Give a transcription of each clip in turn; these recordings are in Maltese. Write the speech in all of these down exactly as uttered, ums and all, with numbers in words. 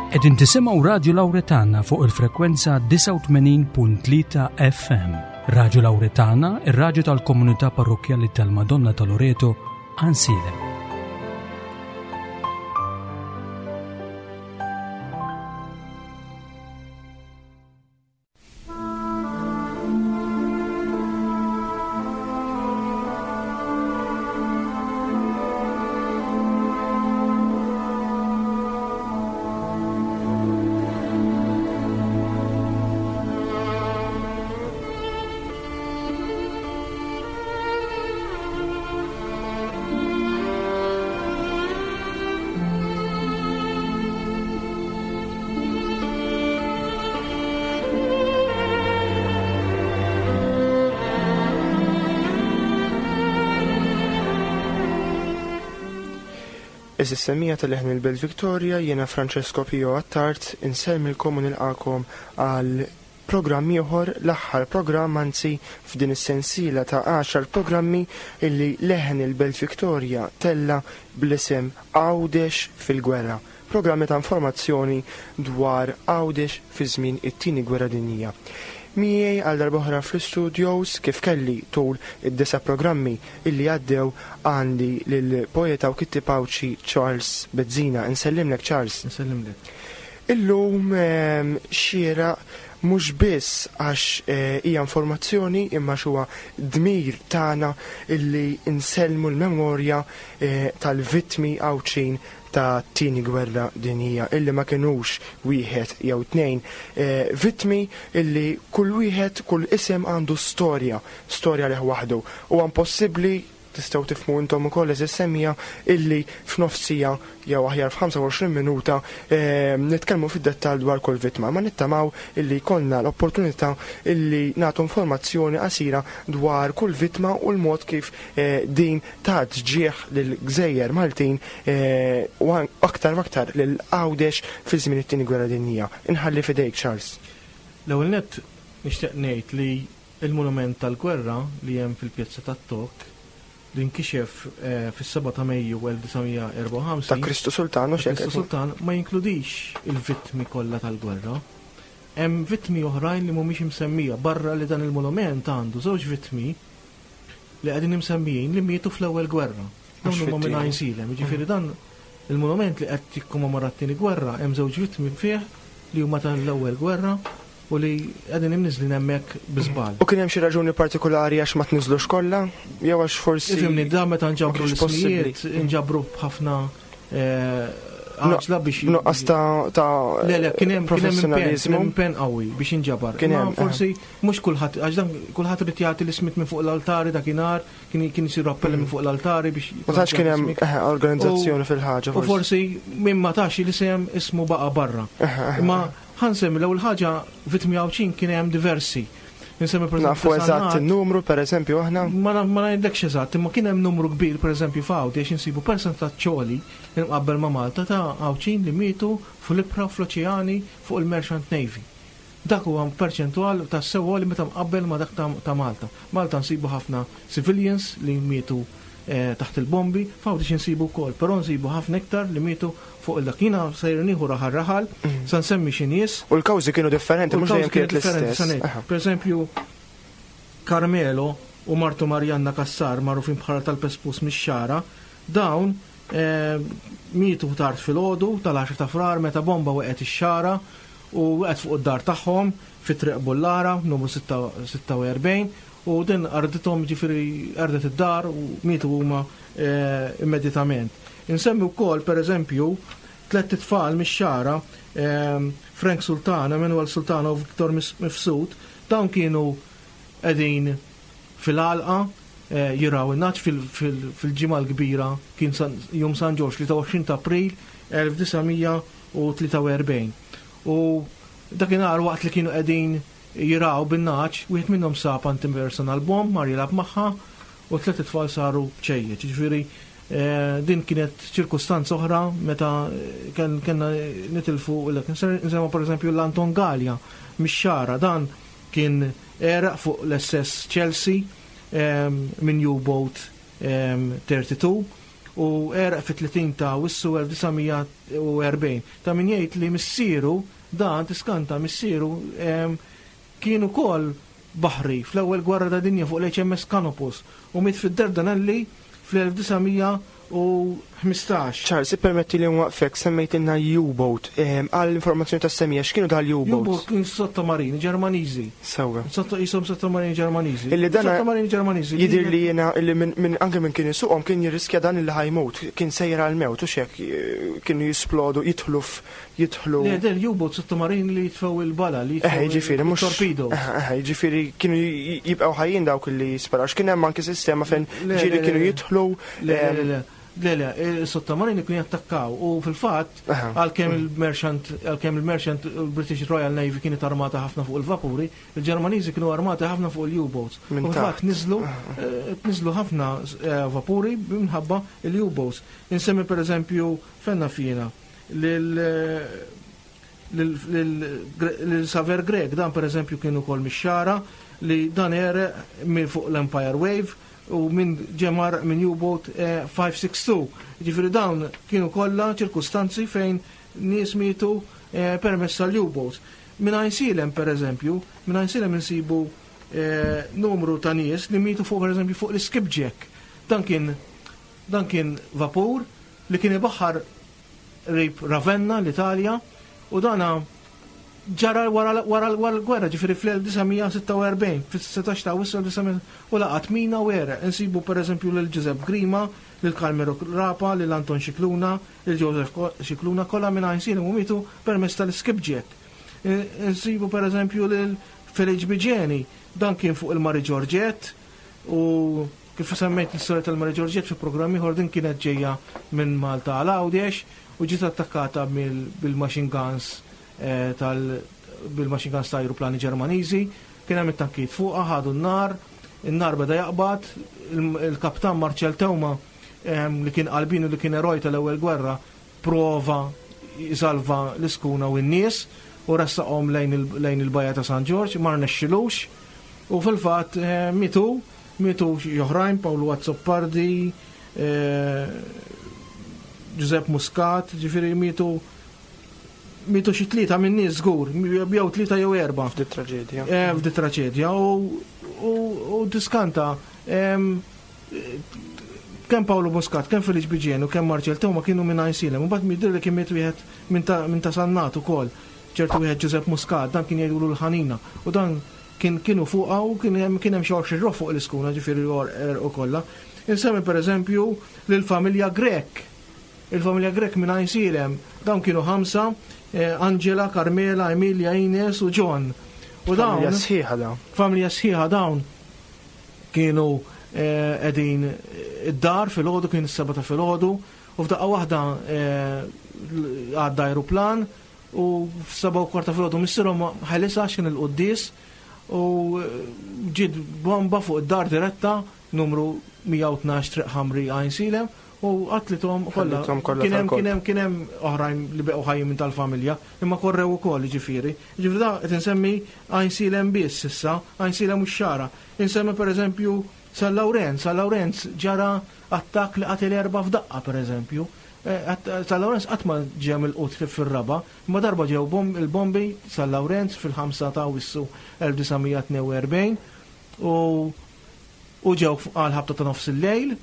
Qegħdin tisimgħu Radju Lawretana fuq il-frekwenza disgħa u tmenin punt tlieta F M. Radju Lawretana, ir-radju tal-komunità parrokkjali tal-Madonna ta' Loreto, Għajnsielem. Is-semmija tal-Leħen il-Belt Victoria, jiena Francesco Pio Attard, insellmilkom u nilqakom għal programm ieħor, l-aħħar programm anzi f'din is-sensiela ta' għaxar programmi illi Leħen il-Belt Victoria tella bl-isem Għawdex fil-Gwerra. Programmi ta' informazzjoni dwar Għawdex fi żmien it-tieni gwerra dinjija. Miegħi għal darb'oħra fl-studios kif kelli tul id-disa programmi illi għaddew għandi lill-poeta u kittieb Għawdxi Charles Bezzina. Insellimlek Charles. Insellimlek. Illum, ehm, xiera mhux biss għax, eh, hija informazzjoni imma huwa dmir tagħna illi insellmu l-memorja, eh, tal-vittmi Għawdxin ta' tieni gwerra dinjija illi ma kinux wieħed jew tnejn, eh, vittmi illi kull wieħed, kull isem għandu storja, storja leh waħdu. Huwa impossibbli, tistgħu tifhmu intom ukoll eżis semmija, illi f'nofsija jew aħjar f'ħamsa u għoxrin minuta, eh, nitkellmu fid-dettall dwar kull vittma, ma nittamaw illi jkollna l-opportunità illi nagħtu informazzjoni qasira dwar kull vittma u l-mod kif, eh, din tat ġieħ lill-Gżejjer Maltin, eh, u an-, aktar u aktar lil Għawdex fi żmien it-tieni gwerra dinjija. Inħalli f'idejk Charles. L-ewwel nett nixtieq ngħid li l-monument tal-gwerra li hemm fil-pjazza tat-Tok li nkixef, eh, fis-seba' ta' Mejju elf disa' mija erba' u ħamsin Ta' Kristu Sultan, u Ta' Kristu x'hekk. Sultan ma jinkludix il-vittmi kollha tal-gwerra. Hemm vittmi oħrajn li mhumiex imsemmija barra li dan il-monument għandu żewġ vittmi li qegħdin imsemmijin li mietu fl-ewwel gwerra. Dawn Mhux huma minn fit-tieni. Għajnsielem, jiġifieri dan il-monument li qed jikkommemora t-tieni gwerra hemm żewġ vittmi fih li huma tal-ewwel gwerra u li qegħdin imniżlin hemmhekk bi żball. U kien hemm xi raġuni partikolari għax ma tniżlux kollha? Jew għax forsi Ifhimni, da meta nġabru ma kienx possibbli. l-ismijiet, nġabru b'ħafna, eh, No, għaġla biex nuqqas ta', ta' Le, le, kien hemm, kien hemm impenn, professjonaliżmu. kien hemm impenn qawwi biex inġabar. Kien Imma hemm, eh. forsi mhux kulħadd, għax dan kulħadd irid jagħti l-ismijiet minn fuq l-altari dakinhar, kien, kien isiru appelli minn fuq l-altari biex Ma tantx kien hemm, jagħti eh, organizzazzjoni U- fil-ħaġa, U forsi. forsi min ma tax l-isem ismu baqa' barra. Eh, eh, Imma ħansemmi l-ewwel ħaġa vittmi Għawdxin kien hemm diversi. Insemmi per eżempju Nafu ta' eżatt Sannat. in-numru, per eżempju, aħna? Ma na-, ma ngħidlekx eżatt, imma kien hemm numru kbir, per eżempju, f'Għawdex insibu persentaġġ ċoli imqabbel ma' Malta ta' Għawdxin li mietu fl-ibħra u fl-oċeani fuq il-Merchant Navy. Dak huwa perċentwal ta' sewwa li meta mqabbel ma' dak ta', ta' Malta. Malta nsibu ħafna civilians li mietu, eh, taħt il-bombi, f'Għawdex insibu wkoll, però nsibu ħafna iktar li mietu fuq il-dak. Jiena sejr nieħu raħal raħal, Mhm. sa nsemmi xi nies. U l-kawżi kienu differenti, U mhux l-kawżi dejjem kienet kienu differenti, l-istess. sa ngħid. Aha. Per eżempju, Carmelo u martu Marianna Cassar, magħrufin bħala tal-Pespus mix-Xagħra, dawn, eh, mietu tard filgħodu tal-għaxra ta' Frar meta bomba waqgħet ix-Xagħra u waqgħet fuq id-dar tagħhom fi Triq Bullara, numru sitta, sitta u erbgħin, u din ardithom, ġifieri ardet id-dar u mietu huma, eh, immedjatament. Insemmi wkoll pereżempju tliet itfal mix-Xagħra, ehm, Frank Sultana, Emanuel Sultana u Victor Mis-, Mifsud, dawn kienu qegħdin fil-għalqa, eh, jiraw in-naċ fil-, fil-, fil-ġimgħa l-kbira kien San-, jum San Ġorġ li ta' għoxrin ta' April elf disa' mija u tlieta u erbgħin. U dakinhar waqt li kienu qegħdin jiraw bin-naċ, wieħed minnhom sab anti-personal bomb, mar jilgħab magħha u tliet itfal saru bċejjeċ. Ġifieri, eh, din kienet ċirkustanza oħra meta ken-, kellna nitilfu l-ek. Nsemma pereżempju l-Anton Galea mix-Xagħra, dan kien eraq fuq l-S S Chelsea, ehm, minn U-Boat, ehm, thirty-two u għereq fit-tletin ta' Awwissu elf disa' mija u erbgħin. Ta' min jgħid li missieru, dan tiskanta missieru, em, kien ukoll baħri fl-ewwel gwerra ta' dinja fuq l-H M S Canopus u miet fid-Dardanelli fl-elf disa' mija u ħmistax. Charles, ippermetti li nwaqfek, semmejtilna U-boat. Ehm, għal informazzjoni ta' semija, x'kienu dal-U-boats? U-boat kien sottomarini Ġermaniżi. Sewwa. Sotto, jisom sottomarini Ġermaniżi. Illi dan Sottomarini Ġermaniżi. Jidir li jiena, illi minn, minn, anke minn kien isuqhom kien jirriskja dan illi ħajmut, kien sejra għal-mewt u xek, kienu jisplodu, jidħlu f-, jidħlu. Le, del U-boat sottomarini li jitfgħu il-bala, li jitfgħu Eh, jiġifieri, mhux il-torpedo. Eh, eh, jiġifieri kienu j-, jibqgħu ħajjin dawk li jisparaw. X'kien hemm anke sistema fejn Le, ġieli le, kienu le. jidħlu, Le, le, ehm, le. Le, le, il-sottomarini kienu jattakkaw u fil-fatt, Aha. għalkemm il-merchant, għalkemm il-merchant, il-British Royal Navy kienet armata ħafna fuq il-vapuri, il-Ġermaniżi kienu armati ħafna fuq il-U-boats. Minn U fil-fatt taħt. niżlu, eh, niżlu ħafna, eh, vapuri minħabba il-U-boats. Insemmi per eżempju fenna fina lil, lil, lil, lil Saver Grech, dan per eżempju kien ukoll mix-Xagħra li dan għereq minn fuq l-Empire Wave u minn ġemar minn U-boat, eh, five six two. Ġifieri dawn kienu kollha ċirkustanzi fejn nies mietu, eh, permezz tal-U-boats. Minn Għajnsielem per eżempju, minn Għajnsielem insibu, eh, numru ta' nies li mietu fuq per eżempju fuq l-Skipjack. Dan kien, dan kien vapur li kien ibaħħar rib Ravenna, l-Italja, u dana ġara wara, wara, wara l-gwerra, ġifieri fl-elf disa' mija sitta u erbgħin, fis-setax ta' Awwissu elf disa' mija u laqat mina u għereq. Insibu per eżempju lil Giuseppe Grima, lil Carmelo Rapa, lil Anton Scicluna, lil Joseph Ko-, Scicluna, kollha minn Għajnsielem u mietu permezz tal-Skipjack. Eh, insibu per eżempju lil Felice Bigeni, dan kien fuq il-Mari Giorgette u kif semmejt l-istorja tal-Mari Giorgette fi programm ieħor, din kienet ġejja minn Malta għal Għawdex u ġiet attakkata mill-, bil-machine guns, eh, tal-, bil-machine guns ta' aeroplani Ġermaniżi, kien hemm it-tankijiet fuqha, ħadu n-nar, in-nar beda jaqbad, il-, il-kaptan Marcel Teuma, ehm, li kien qalbin u li kien eroj tal-ewwel gwerra, prova jsalva l-iskuna u n-nies u ressaqhom lejn il-, lejn il-bajja ta' San Ġorġ, ma rnexxilux u fil-fatt, eh, mitu, mitu xi oħrajn, Paolo Azzopardi, eh, Giuseppe Muscat, ġifieri mitu mitu xi tlieta minn nies żgur, jew tlieta jew erba'. F'di traġedja. Eh, f'di traġedja u, u, u diskanta, em, kemm Paolo Muscat, kemm Felice Bigeni u kemm Marcel Teuma kienu minn Għajnsielem, u mbagħad jidher li kien miet wieħed minn ta-, minn ta' Sannat ukoll, ċertu wieħed Giuseppe Muscat, dan kien jgħidulu l-ħanina, u dan kien, kienu fuqha u kien hemm, kien hemm xi għoxrin ruħ fuq l-iskuna, ġifieri u kollha. Insemmi pereżempju lill-familja Grech. Il-familja Grech minn Għajnsielem, dawn kienu ħamsa, eh, Angela, Carmela, Emilia, Ines u John. U dawn Familja sħiħa dawn. Familja sħiħa dawn kienu, eh, qegħdin id-dar filgħodu, kien is-seba' ta' filgħodu, u f'daqqa waħda, eh, għadda aeroplan u f'seba' u kwarta filgħodu missierhom ħelisha x'kien il-quddies u ġiet bomba fuq id-dar diretta numru mija u tnax Triq Ħamri Għajnsielem u qatlithom kollha. Qatlithom kollha Kien hemm, tal-kolb. kien hemm, kien hemm oħrajn li beqgħu ħajjin minn tal-familja, imma korrew ukoll, jiġifieri. Jiġifieri da qed insemmi Għajnsielem biss issa, Għajnsielem u x-Xagħra. Insemmi pereżempju San Lawrenz, San Lawrenz ġara attakk li qatel erba' f'daqqa pereżempju. Eh, att-, San Lawrenz qatt ma ġie mill-qut fir-raba, imma darba ġew bom-, il-bombi San Lawrenz fil-ħamsa ta' Awwissu elf disa' mija tnejn u erbgħin u, u ġew f-, għal ħabta ta' nofs il-lejl,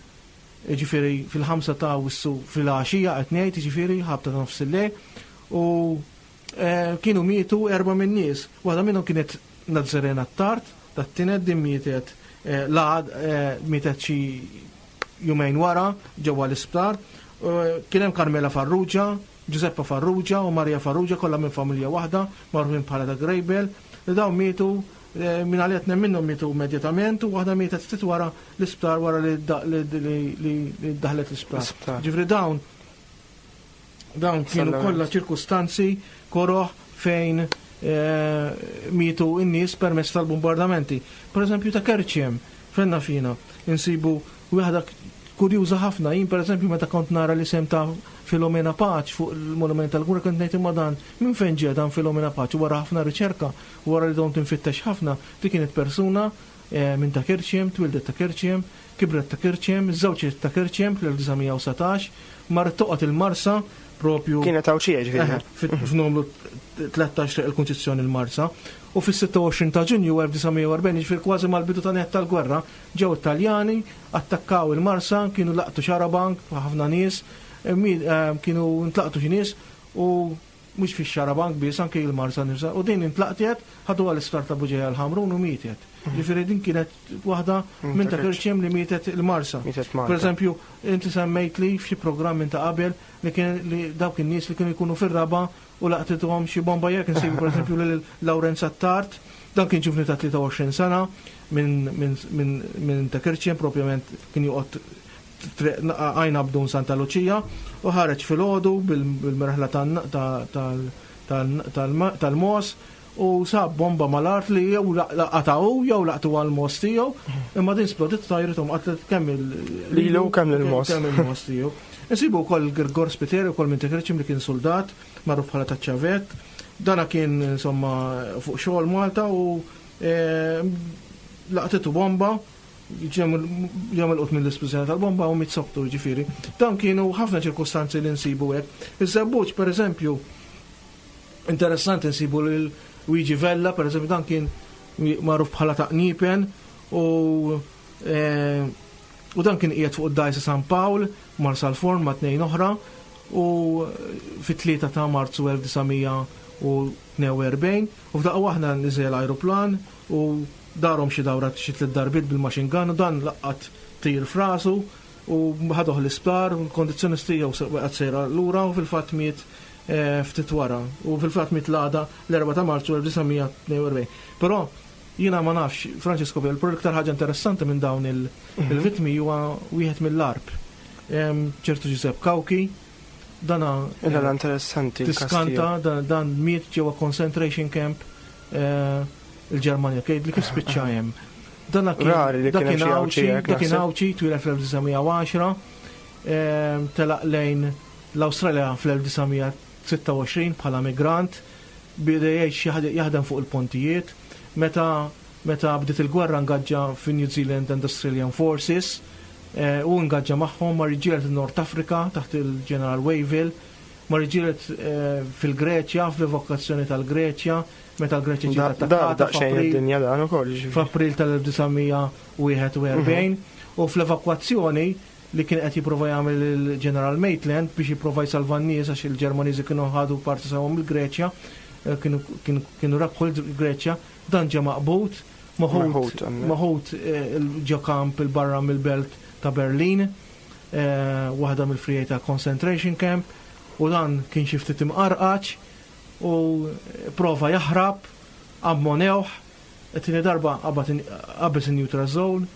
jiġifieri fil-ħamsa ta' Awwissu fil-għaxija qed ngħid, jiġifieri ħabta ta' nofs il-lejl, u, eh, kienu mietu erba' minn nies. Waħda minnhom kienet Nazzarena Attard, tat-tienet din mietet, eh, laqad, eh, mietet xi jumejn wara ġewwa l-isptar. Eh, kien hemm Carmela Farrugia, Giuseppa Farrugia u Maria Farrugia, kollha minn familja waħda, magħrufin bħala ta' Grejbel, li dawn mietu, eh, minn għalija tnejn minnhom mietu immedjatament u waħda mietet ftit wara l-isptar, wara li da-, li, li, li, li daħlet l-isptar. L-isptar. Ġifieri dawn, dawn kienu Sallament. kollha ċirkustanzi koroħ fejn, eh, mietu n-nies permezz tal-bombardamenti. Per eżempju ta' Kerċem, fenna fina, insibu waħda kurjuża ħafna. Jien per eżempju meta kont nara l-isem ta' Filomena Pace fuq il-monument tal-gwerra kont ngħid imma dan minn fejn ġie dan Filomena Pace, wara ħafna riċerka, wara li dom tinfittex ħafna, di kienet persuna minn ta' Kerċem, twildet ta' Kerċem, kibret ta' Kerċem, żewġet ta' Kerċem fl-elf disa' mija u satax, marret toqgħod il-Marsa propju. Kienet Għawdxija ġifieri. F'numru tlettax triq il-Kunċizzjoni il-Marsa. U fis-sitta u għoxrin ta' Ġunju elf disa' mija u erbgħin, ġifieri kważi mal-bidu ta' net tal-gwerra, ġew Italjani, attakkaw il-Marsa, kienu laqtu xarabank, ħafna nies, kienu ntlaqtu xi nies u mhux fix-xarabank biss, anke il-Marsa nifsa. U din intlaqtet, ħadu għall-isptar ta' Buġeja l-Ħamrun u mietet. Ġifieri din kienet waħda minn ta' Kerċem li mietet il-Marsa. Mietet Malta. Per eżempju, inti semmejt li f'xi programm minn ta' qabel li kien li dawk in-nies li kienu jkunu fir-raba u laqtithom xi bomba jekk insibu per eżempju lil Lawrenz Attard, dan kien ġuvni ta' tlieta u għoxrin sena minn, minn, minn, minn ta' Kerċem, propjament kien joqgħod għajna bdun Santa Lucia u ħareġ filgħodu bil-merħla tal-mos u sab bomba mal-art li jew laqataw jew laqtu għal-mos tiegħu, imma din splodit tajrithom qatlet kemm il- Lilu kemm il-mos. Kemm il-mos tiegħu. Insibu wkoll Girgor Spiteri wkoll minn ta' Kerċem li kien soldat magħruf bħala taċ-ċavett. Dana kien insomma fuq xogħol Malta u, eh, laqtitu bomba, ġemel qut mill-isplużjoni tal-bomba u miet soktu ġifieri. Dan kienu ħafna ċirkustanzi li nsibu hekk. Iż-Żebbuġ, per eżempju, interessanti nsibu lil Luigi Vella, per eżempju, dan kien magħruf bħala ta' Qniepen u, eh, u dan kien qiegħed fuq id-dgħajsa San Pawl, Marsalforn ma' tnejn oħra, u fit-tlieta ta' Marzu elf disa' mija u tnejn u erbgħin, u f'daqqa waħda niżel ajruplan u darhom xi dawra xi tliet darbiet bil-machine gun u dan laqat tir frasu u ħaduh l-isptar, u l-kondizzjoni tiegħu se waqgħet sejra lura u fil-fatt miet, eh, ftit wara, u fil-fatt miet l-għada l-erbgħa ta' Marzu elf disa' mija tnejn u erbgħin. Però jiena ma nafx, Francesco, però l-iktar ħaġa interessanti minn dawn il- Mhm. il-vittmi huwa wieħed mill-Għarb. Em, ċertu Giuseppe Cauchi, dana, Illa l-interessanti, il-każ tiskanta, tiegħu. dan, dan miet ġewwa concentration camp, eh, il-Ġermanja, kejt li kif spiċċa hemm. Dan kien Rari li dak kien hemm kien xi Għawdxi, Għawdxi hekk dak kien naħseb. Għawdxi, twieled fl-elf disa' mija u għaxra, em, telaq lejn l-Awstralja fl-elf disa' mija sitta u għoxrin bħala migrant, bida jgħix jaħd-, jaħdem fuq il-pontijiet, meta, meta bdiet il-gwerra ngaġġa fi New Zealand and Australian Forces, eh, u ngaġġa magħhom mar iġġieled in-Nord Afrika taħt il-General Wavell, mar iġġieled, eh, fil-Greċja, fl-evakuazzjoni tal-Greċja, meta l-Greċja ġiet Da- attakkata da- daqsxejn f'April id-dinja dan ukoll, ġifieri. f'April tal-elf disa' mija u wieħed u erbgħin, Mhm. u fl-evakwazzjoni li kien qed jipprova jagħmel il-General Maitland biex jipprova jsalva n-nies għax il-Ġermaniżi kienu ħadu parti sewwa mill-Greċja, eh, kienu, kienu, kienu rebħu l-Greċja, dan ġie maqbud, maħud, Maħud, għamel. maħud, eh, ġo kamp il-barra mill-belt ta' Berlin, eh, waħda mill-frijiet ta' concentration camp, u dan kien xi ftit imqarqaċ u prova jaħrab, ammonewh, it-tieni darba qabad in-, qabeż in-neutral zone,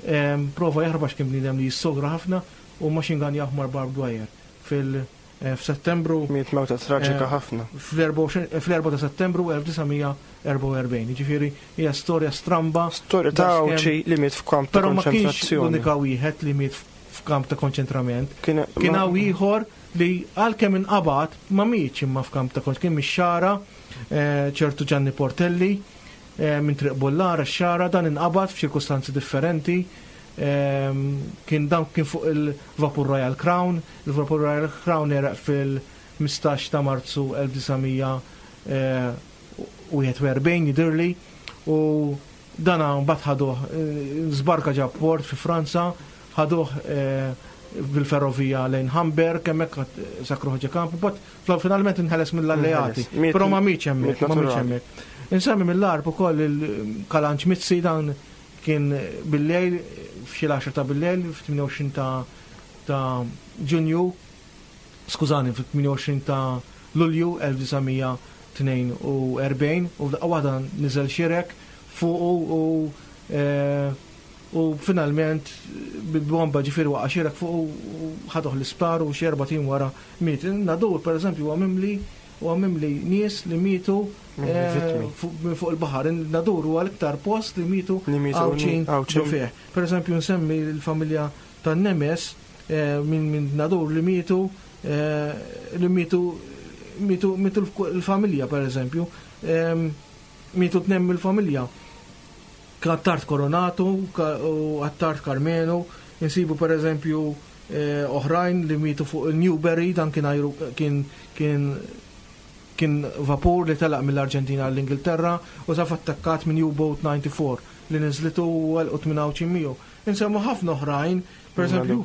em, prova jaħrab għax kien bniedem li jissogra ħafna u machine gun jaħmar barbed wire fil-, eh, f'Settembru. Miet mewta traġika eh, ħafna. fl-erba' u xejn, fl-erba' ta' Settembru elf disa' mija erba' u erbgħin. Jiġifieri hija storja stramba. Storja ta' Daqskemm Għawdxi li miet f'kamp ta' Però ma kienx konċentrazzjoni. l-unika wieħed li miet f'kamp ta' konċentrament. Kien Kien ma- hawn ieħor li għalkemm inqabad ma mietx imma f'kamp ta' konċentrament. Kien mix-Xagħra, eh, ċertu Gianni Portelli, eh, minn Triq Bullara x-Xagħra, dan inqabad f'ċirkustanzi differenti. Ehm, kien dan kien fuq il-Vapur Royal Crown. Il-Vapur Royal Crown era fil-ħmistax ta' Marzu elf disa' mija, eh, u wieħed u erbgħin jidhirli, u dana mbagħad ħaduh, eh, żbarka ġa port fi Franza, ħaduh, eh, bil-ferrovija lejn Hamburg, hemmhekk sakruħ ġa kamp, but fl-, finalment inħeles mill-alleati. Inħeles. Miet Però ma mietx hemmhekk, miet ma mietx naturali. hemmhekk. Insemmi mill-Għarb ukoll il-Kalanċ Mizzi, dan kien bil-lejl, f'xi l-għaxra ta' bil-lejl, f'tmien u għoxrin ta', ta' Ġunju, skużani, f'tmien u għoxrin ta' Lulju elf disa' mija tnejn u erbgħin, u f'daqqa waħda niżel xirek fuqu u, eh, u finalment bil-bomba ġifieri waqa' xirek fuqu u ħaduh l-isptar u xi erba' tim wara miet. Nadur, per eżempju, huwa mimli, huwa mimli nies li mietu, Mimli eh, vittmi. fuq, minn fuq il-baħar. Nadur huwa l-iktar post li mietu Li mietu Għawdxin Għawdxin. ġo fih. Per eżempju, nsemmi l-familja tan-Nemes, eh, minn, minn Nadur li mietu, eh, li mietu, mietu, mietu l-familja, per eżempju, ehm, mietu tnejn mill-familja. Attard Koronatu u Attard Karmenu, insibu per eżempju oħrajn li mietu fuq il-Newberry, dan kien kien kien kien vapur li telaq mill-Arġentina għall-Ingilterra u saf attakkat minn U-Boat disgħa u disgħin li niżlitu u għelqu tmienja u miegħu. Insemmu ħafna oħrajn, per eżempju,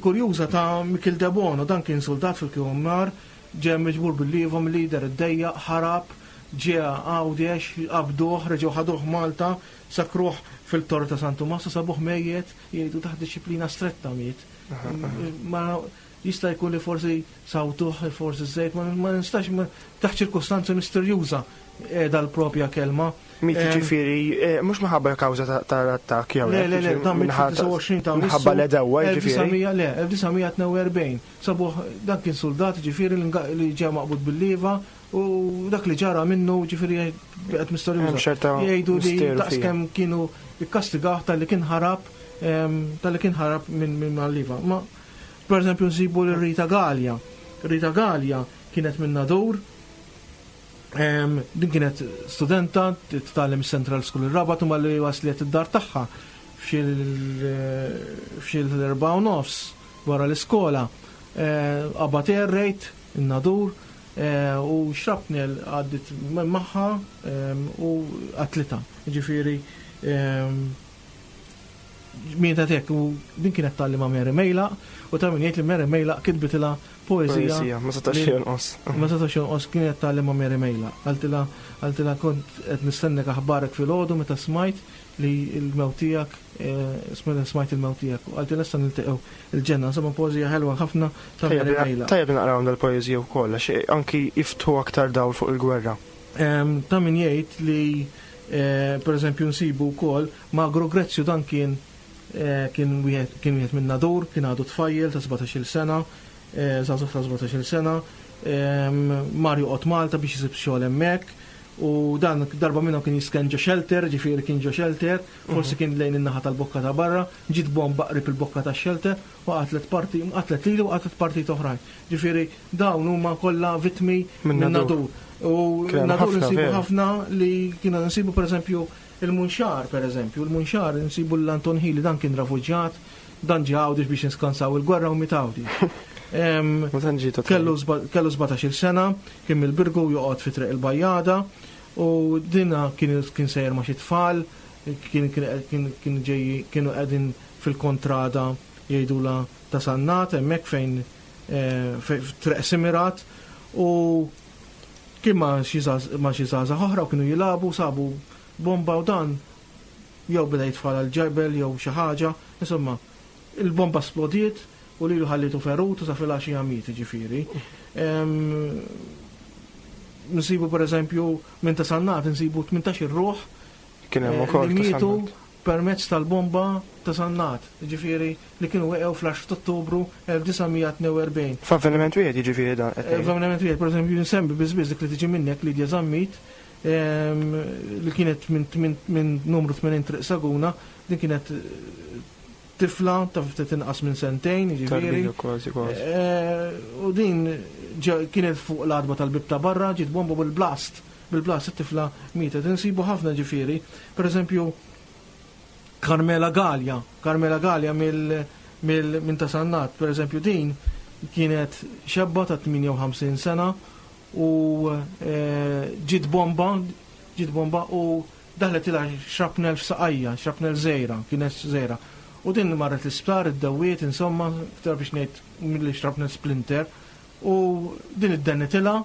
kurjuża ta' Mikil Debono, dan kien soldat fil-K O M R, ġie miġbur bil-liva mill-lider id-dejja, ħarab, ġie Għawdex, qabduh, reġgħu ħaduh Malta, sakruh fil-Torre ta' San Tumas, sabuh mejjet, jgħidu taħt disċiplina stretta miet. Ma jista' jkun li forsi sawtuh, forsi żejt, ma nistax, taħt ċirkustanza misterjuża dal-propja kelma. Miet ġifieri, mhux minħabba kawża tal-attakk jew Le, le, le, dan mill-tlieta u għoxrin ta' Minħabba l-għedewwa ġifieri. Le, elf disa' mija tnejn u erbgħin. Sabuh, dan kien soldat ġifieri li ġew maqbud bil-liva u dak li ġara minnu ġifieri qed misterjuża. Jgħidu li daqskemm kienu ikkastigaw tal-li kien ħarab tal-li kien ħarab minn mal-liva. Ma per eżempju nsibu l-Rita Gallia. Rita Gallia kienet minn Nadur, din kienet studenta titgħallem Central School ir-Rabat u malli waslet id-dar tagħha f'xi l-erbgħa u nofs wara l-iskola. Qabad air raid in-Nadur u shrapnel għaddit magħha u qatlitha. Ġifieri mietet hekk u din kienet tgħallem ma' Mary Mejlaq u ta' min jgħid li Mary Mejlaq kitbitilha poeżija. Poeżija, ma setax jonqos. Ma setax jonqos, kienet tgħallem ma' Mary Mejlaq. Qaltilha qaltilha kont qed nistennek aħbarek filgħodu meta smajt li l-mewt tiegħek, smajt il-mewt tiegħek. Qaltilha issa niltaqgħu il-ġenna, insomma poeżija ħelwa ħafna ta' Mary Mejlaq. Tajjeb naqrawhom dal-poeżija wkoll għax anki jiftħu aktar dawl fuq il-gwerra. Ta' min jgħid li per eżempju nsibu wkoll Magro Grezzju, dan kien kien wieħed kien wieħed minn Nadur, kien għadu tfajjel ta' sbatax-il sena, żagħżugħ ta' sbatax-il sena, mar joqgħod Malta biex isib xogħol hemmhekk u dan darba minnhom kien jisken ġo shelter, ġifieri kien ġo shelter, forsi kien lejn in-naħa tal-bokka ta' barra, ġiet bomba qrib il-bokka ta' shelter u qatlet parti, qatlet lilu u qatlet partit oħrajn. Ġifieri dawn huma kollha vittmi minn Nadur. U Nadur nsibu ħafna li kienu nsibu pereżempju il-Munxar, per eżempju, il-Munxar nsibu l-Anton Hili, dan kien refuġjat, dan ġie Għawdex biex niskansaw il-gwerra u miet Għawdex. Kellu sbatax-il sena, kien mill-Birgu, joqgħod fi Triq il-Bajjada u dina kien kien sejjer ma' xi tfal, kien kien ġej kienu qegħdin fil-kontrada jgħidula ta' Sannat, hemmhekk fejn Triq Simirat, u kien ma' xi żgħażagħ oħra u kienu jilagħbu, sabu bomba u dan jew beda jitfal għal-ġebel jew xi ħaġa, insomma, il-bomba splodiet u lilu ħallitu ferut u sa filgħaxija miet ġifieri. Nsibu per eżempju minn ta' Sannat nsibu tmintax-il ruħ Kien hemm ukoll li mietu permezz tal-bomba ta' Sannat, ġifieri li kienu weqgħu fl-għaxra ta' Ottubru elf disa' mija tnejn u erbgħin. F'avveniment wieħed jiġifieri dan qed tgħid. F'avveniment wieħed, per eżempju, nsemmi biss biss dik li tiġi minnek Lidja Zammit, li kienet minn numru tmenin Triq Saguna, din kienet tifla ta' ftit inqas minn sentejn, jiġifieri. Tarbija kważi kważi. U din kienet fuq l-għatba tal-bib ta' barra, ġiet bomba bil-blast, bil-blast it-tifla mietet. Insibu ħafna ġifieri, per eżempju Carmela Gallia, Carmela Gallia minn ta' Sannat, per eżempju din kienet xebba ta' tmienja u ħamsin sena u ġiet bomba, ġiet bomba u daħlet ilha shrapnel f'saqajja, shrapnel żgħira, kienet żgħira. U din marret l-isptar, id-dawiet, insomma, iktar biex ngħid milli shrapnel splinter, u din iddennitilha,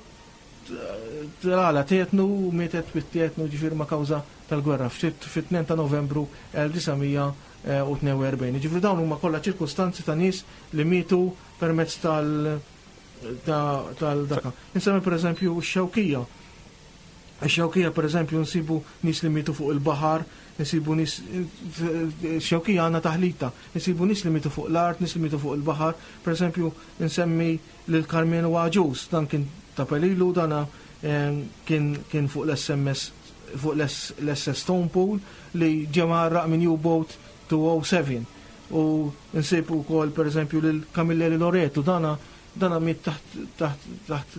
telgħalha tetnu u mietet bit-tetnu ġifieri ma' kawża tal-gwerra fit-tnejn ta' Novembru elf disa' mija tnejn u erbgħin. Ġifieri dawn huma kollha ċirkustanzi ta' nies li mietu permezz tal tal-daka. Insemmi per eżempju x-Xewkija. Ix-Xewkija per eżempju nsibu nies li mietu fuq il-baħar, nsibu nies, Xewkija għandna taħlita, nsibu nies li mietu fuq l-art, nies li mietu fuq il-baħar. Per eżempju nsemmi lil Karmenu Agius, dan kien ta' Pelilu, dana kien kien fuq l-S M S, fuq l-S S Stonepool li ġie mgħarraq minn U-Boat two oh seven. U nsibu wkoll per eżempju lil Camilleri Loreto, dana dana miet taħt taħt taħt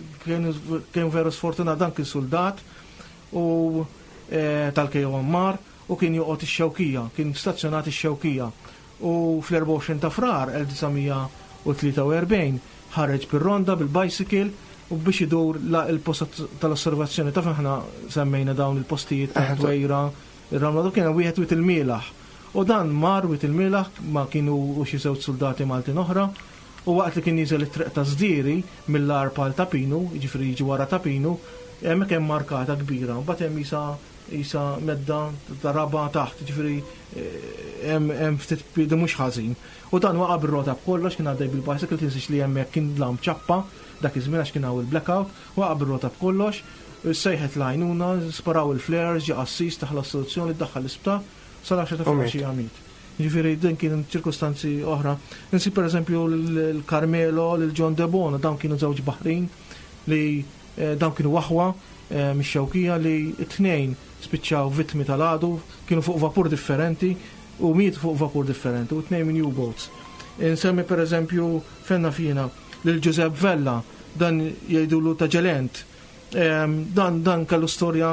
kien veru sfortunat, dan kien soldat u tal-K O M R u kien joqgħod ix-Xewkija, kien stazzjonat ix-Xewkija. U fl-erbgħa u għoxrin ta' Frar elf disa' mija u tlieta u erbgħin ħareġ bir-ronda bil-bicycle u biex idur la il-post tal-osservazzjoni. Taf aħna semmejna dawn il-postijiet ta' Dwejra, ir-Ramla, kien hemm wieħed Wied il-Mielaħ. U dan mar Wied il-Mielaħ ma kienu u xi żewġ soldati Maltin oħra, u waqt li kien jiżel it-triq ta' Żdieri mill-Għarb għal Ta' Pinu, jiġifieri jiġi wara Ta' Pinu, hemmhekk hemm markata kbira, mbagħad hemm isa isa medda ta' raba taħt, jiġifieri, eh, hemm, hemm ftit piedi mhux ħażin. U dan waqa' bir-rota b'kollox, kien għaddej bil-bicycle, tinsiex li hemmhekk kien dlam ċappa dak iż-żmien għax kien hawn il-blackout, waqa' bir-rota b'kollox, sejħet l-għajnuna, sparaw il-flares, ġie qassis, taħla s-soluzzjoni, daħħal l-isptar, sal-għaxra ta' U miet. filgħaxija miet. Jiġifieri din kien ċirkustanzi oħra. Insib pereżempju l-Carmelo, l-John De Bono, dawn kienu żewġ baħrin li, eh, dawn kienu aħwa, eh, mix-Xewkija li t-tnejn spiċċaw vittmi tal-għadu, kienu fuq vapur differenti u miet fuq vapur differenti u t-tnejn minn U-boats. Insemmi pereżempju fenna fina lil Giuseppe Vella, dan jgħidulu ta' Ġelent. Ehm, dan, dan kellu storja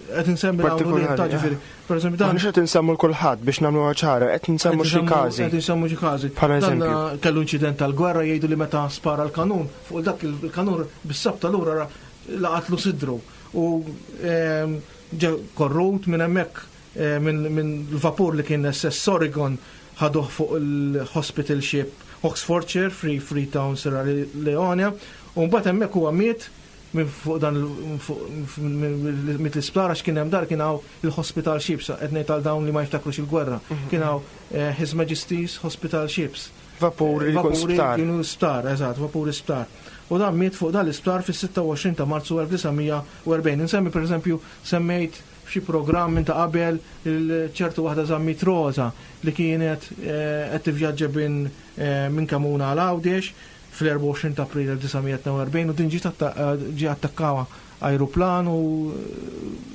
qed insemmi dawn u Partikolari, ta' ġifieri. eh. Per eżempju, dan Maħniex qed insemmu l-kulħadd biex nagħmluha ċara, qed insemmu Qed xi insemmu- każi. Qed insemmu xi każi. Bħala Dan eżempju. kellu inċident tal-gwerra, jgħidu li meta spara l-kanun, fuq dak il-kanun bis-sabta lura ra-, laqatlu sidru. U, ehm, ġe korrut minn hemmhekk, eh, minn, minn l-vapur li kien S S Oregon ħaduh fuq il-hospital ship Oxfordshire, Free Freetown, Sierra Leone, u mbagħad hemmhekk huwa miet minn fuq dan il-, fuq, minn, minn, minn l-isptar, għax kien hemm dar kien hawn il-hospital ships, qed ngħid għal dawn li ma jiftakrux il-gwerra. Mhm. Kien hawn, eh, His Majesty's Hospital Ships. Vapuri li jkun Vapuri sptar. kienu sptar, eżatt, vapuri sptar. U dan miet fuq dan l-isptar fis-sitta u għoxrin ta' Marzu elf disa' mija u erbgħin. Insemmi pereżempju semmejt f'xi programm minn ta' qabel il-ċertu waħda Zammit Rosa li kienet, eh, qed tivvjaġġa bin, eh, minn Kamuna għal Għawdex fl-erbgħa u għoxrin ta' April elf disa' mija tnejn u erbgħin u din ġiet atta-, eh, ġie attakkawa ajruplan u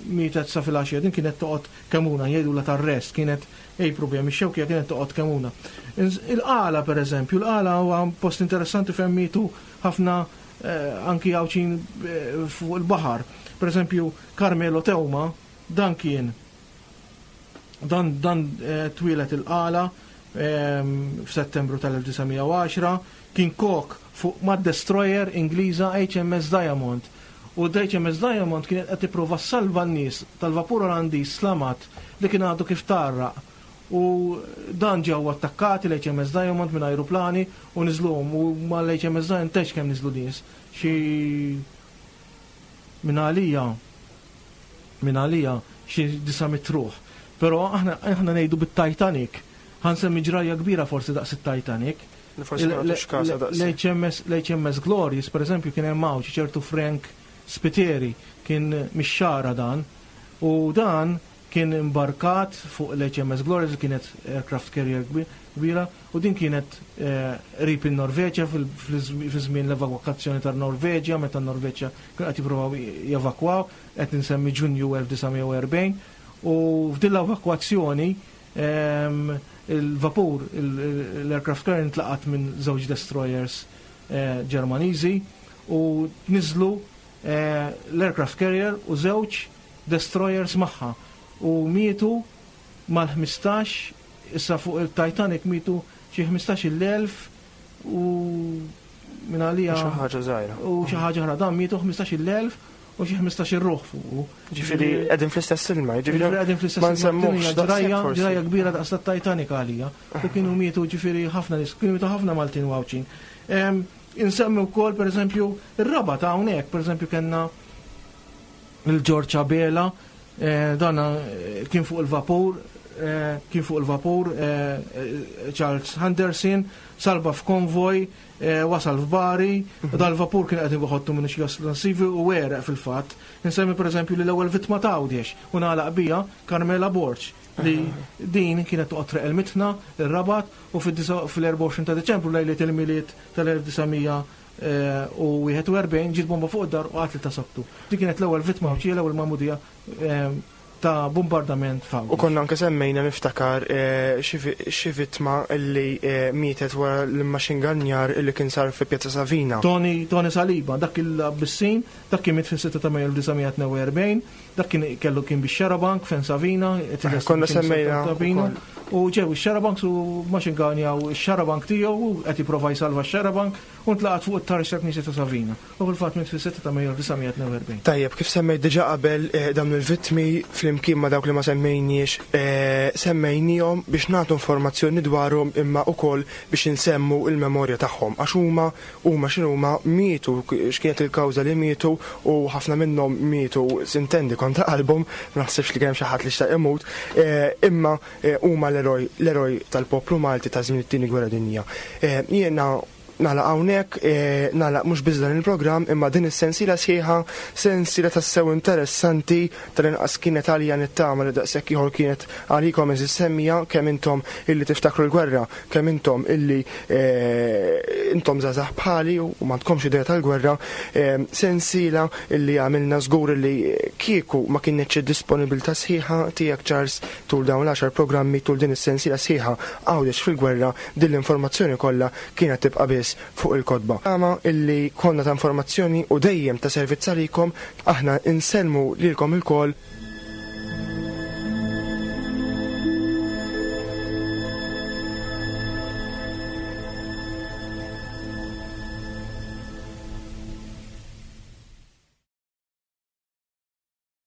mietet sa filgħaxija. Din kienet toqgħod Kemuna, jgħidu la tar-rest, kienet ej problemi xewkija kienet toqgħod Kemuna. Ins-, Il-Qala pereżempju, il-Qala huwa post interessanti fejn mietu ħafna, eh, anki Għawdxin, eh, fuq il-baħar. Pereżempju Carmelo Teuma, dan kien dan, dan, eh, twieled il-Qala, ehm, f'Settembru tal-elf disa' mija u għaxra, kien kok fuq mad-destroyer Ingliża H M S Diamond. U d-H M S Diamond kienet qed tipprova salva n-nies tal-vapur Olandiż Slamat li kien għadu kif tarraq. U dan ġew attakkati l-H M S Diamond minn ajruplani u niżluhom, u mal-H M S Diamond tex kemm niżlu nies. Xi minn għalija, minn għalija xi disa' mitt ruħ. Però aħna, aħna ngħidu bit-Titanic. Ħansemmi ġrajja kbira forsi daqs it-Titanic. Li forsi ma nagħtux każha daqs. L-H M S, l-H M S Glorious, per eżempju, kien hemm hawn xi ċertu Frank Spiteri, kien mix-Xagħra dan, u dan kien imbarkat fuq l-H M S Glorious, li kienet aircraft carrier kbi-, kbira, u din kienet, eh, qrib in-Norveġja fil-, fil-, fi żmien l-evakwazzjoni tar-Norveġja, meta n-Norveġja kienu qed jippruvaw jevakwaw, qed insemmi Ġunju elf disa' mija u erbgħin, u f'din l-evakwazzjoni, ehm, il-vapur, il-, il-, l-aircraft carrier intlaqat minn żewġ destroyers, eh, Ġermaniżi u niżlu, eh, l-aircraft carrier u żewġ destroyers magħha u mietu mal-ħmistax, issa fuq il-Titanic mietu xi ħmistax-il elf u minn għalija Xi ħaġa żgħira. U xi ħaġa oħra, dan mietu ħmistax-il elf u xi ħmistax-il ruħ fuqu. Ġifieri qegħdin fl-istess ilma, ġifieri Ġifieri qegħdin fl-istess ma ilma, nsemmuhx din hija daqshekk ġrajja, forsi. ġrajja kbira daqs tat-Titanic għalija. U kienu mietu ġifieri ħafna nies, kienu mietu ħafna Maltin u Għawdxin. Em, insemmi wkoll pereżempju ir-raba ta' hawnhekk, pereżempju kellna il-George Abela, eh, dan, eh, kien fuq il-vapur, eh, kien fuq il-vapur, eh, eh, Charles Henderson, salba f'konvoj, eh, wasal f'Bari, Mhm. dal-vapur kien qed iħottu minn xi esplosivi u għereq fil-fatt. Insemmi pereżempju li l-ewwel vittma ta' Għawdex u nagħlaq bija Carmela Borg, li Mhm. din kienet toqgħod Triq il-Mitna, ir-Rabat, u fid-disa-, fil-erbgħa u għoxrin ta' Deċembru lejliet il-Milied tal-elf disa' mija, eh, u wieħed u erbgħin ġiet bomba fuq id-dar u qatlet ta' sabtu. Din kienet l-ewwel vittma Għawdxija, l-ewwel magħmudija, eh, ta' bombardament f'Għawdex. U konna anke semmejna niftakar eh, xi vittma li eh, mietet wara l-machine gun illi kien sar fi Pjazza Savina. Tony, Tony Saliba, dak il-Abissin, dak kien miet fis-sitta ta' Mejju elf disa' mija tnejn u erbgħin, dak kien kellu kien bix xarabank fejn Savina, eh, Konna semmejna. U ġew ix-xarabank u machine gun jew ix-xarabank tiegħu qed jipprova jsalva x-xarabank u ntlaqat fuq it-taraġ tal-Knisja ta' Savina. U fil-fatt miet fis-sitta ta' Mejju elf disa' mija tnejn u erbgħin. Tajjeb, kif semmejt diġà qabel, eh, dawn il-vittmi flimkien ma' dawk li ma semmejniex, eh, semmejnihom biex nagħtu informazzjoni dwarhom imma ukoll biex insemmu il-memorja tagħhom. Għax huma huma x'inhuma mietu, x'kienet il-kawża li mietu, u ħafna minnhom mietu sintendi kontra qalbhom, ma naħsibx li kemm xi ħadd li xtaq imut, eh, imma huma l-eroj l-eroj tal-poplu Malti ta' żmien it-Tieni Gwerra Dinjija. Jiena nagħlaq hawnhekk, eh, nagħlaq mhux biss dan il-programm imma din is-sensiela sħiħa, sensiela tassew interessanti, tal-inqas kienet għalija, nittama li daqshekk ieħor kienet għalikom għeżież semmiegħa, kemm intom illi tiftakru l-gwerra, kemm intom illi eh, intom żgħażagħ bħali u m'għandkomx idea tal-gwerra, eh, sensiela illi għamilna żgur illi kieku ma kienx disponibilità sħiħa tiegħek, Charles, tul dawn l-għaxar programmi, tul din is-sensiela sħiħa Għawdex fil-gwerra, din l-informazzjoni kollha kienet tibqa' biss fuq il-kotba. Għama illi konna ta' informazzjoni u dejjem ta' servizz għalikom, aħna insellmu lilkom ilkoll.